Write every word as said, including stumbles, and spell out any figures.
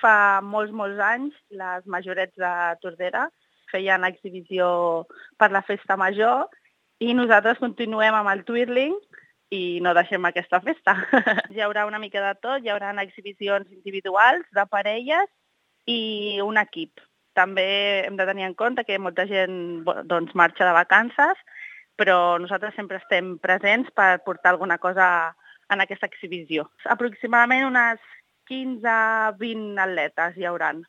Fa molts, molts anys, les majorets de Tordera feien exhibició per la festa major i nosaltres continuem amb el twirling i no deixem aquesta festa. Hi haurà una mica de tot, hi haurà exhibicions individuals, de parelles i un equip. També hem de tenir en compte que molta gent doncs, marxa de vacances, però nosaltres sempre estem presents per portar alguna cosa en aquesta exhibició. Aproximadament unes quinze a vint atletes hi hauran.